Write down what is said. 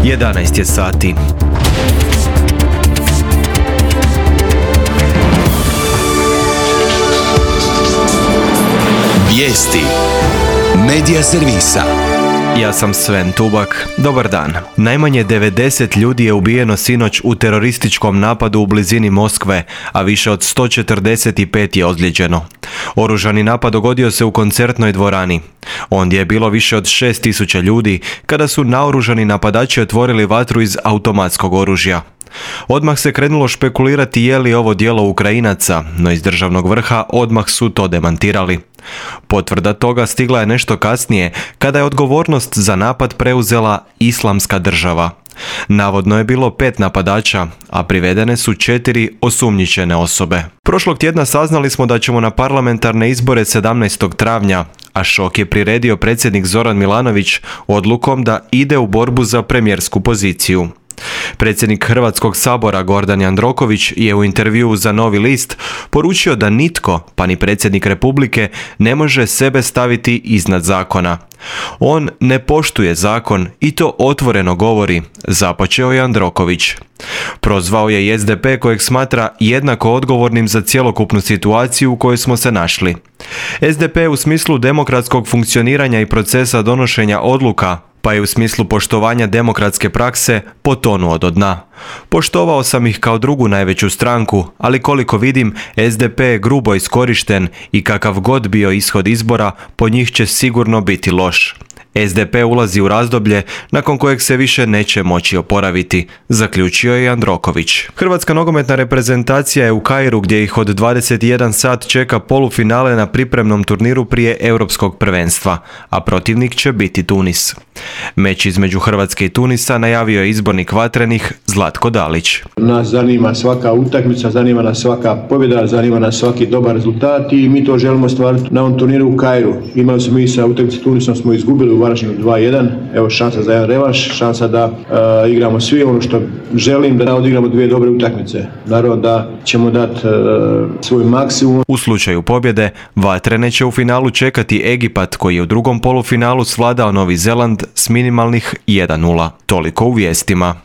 11 je sati. Vijesti Medija servisa. Ja sam Sven Tubak. Dobar dan. Najmanje 90 ljudi je ubijeno sinoć u terorističkom napadu u blizini Moskve, a više od 145 je ozlijeđeno. Oružani napad dogodio se u koncertnoj dvorani. Ondje je bilo više od 6000 ljudi kada su naoružani napadači otvorili vatru iz automatskog oružja. Odmah se krenulo špekulirati je li ovo djelo Ukrajinaca, no iz državnog vrha odmah su to demantirali. Potvrda toga stigla je nešto kasnije, kada je odgovornost za napad preuzela Islamska država. Navodno je bilo 5 napadača, a privedene su 4 osumnjičene osobe. Prošlog tjedna saznali smo da ćemo na parlamentarne izbore 17. travnja, a šok je priredio predsjednik Zoran Milanović odlukom da ide u borbu za premijersku poziciju. Predsjednik Hrvatskog sabora Gordan Jandroković je u intervjuu za Novi list poručio da nitko, pa ni predsjednik Republike, ne može sebe staviti iznad zakona. On ne poštuje zakon i to otvoreno govori, započeo je Jandroković. Prozvao je i SDP kojeg smatra jednako odgovornim za cjelokupnu situaciju u kojoj smo se našli. SDP u smislu demokratskog funkcioniranja i procesa donošenja odluka, pa je u smislu poštovanja demokratske prakse potonuo do dna. Poštovao sam ih kao drugu najveću stranku, ali koliko vidim, SDP je grubo iskorišten i kakav god bio ishod izbora, po njih će sigurno biti loš. SDP ulazi u razdoblje nakon kojeg se više neće moći oporaviti, zaključio je Jandroković. Hrvatska nogometna reprezentacija je u Kairu gdje ih od 21 sat čeka polufinale na pripremnom turniru prije Europskog prvenstva, a protivnik će biti Tunis. Meč između Hrvatske i Tunisa najavio je izbornik Vatrenih Zlatko Dalić. Nas zanima svaka utakmica, zanima nas svaka pobjeda, zanima nas svaki dobar rezultat i mi to želimo stvariti na ovom turniru u Kairu. Imali smo mi sa utakmicom Tunisom, smo izgubili u Varaždinu 2-1, evo šansa za jedan revanš, šansa da igramo svi ono što želim, da odigramo 2 dobre utakmice. Naravno da ćemo dati svoj maksimum. U slučaju pobjede, Vatrene će u finalu čekati Egipat koji je u drugom polufinalu svladao Novi Zeland s minimalnih 1:0. Toliko u vijestima.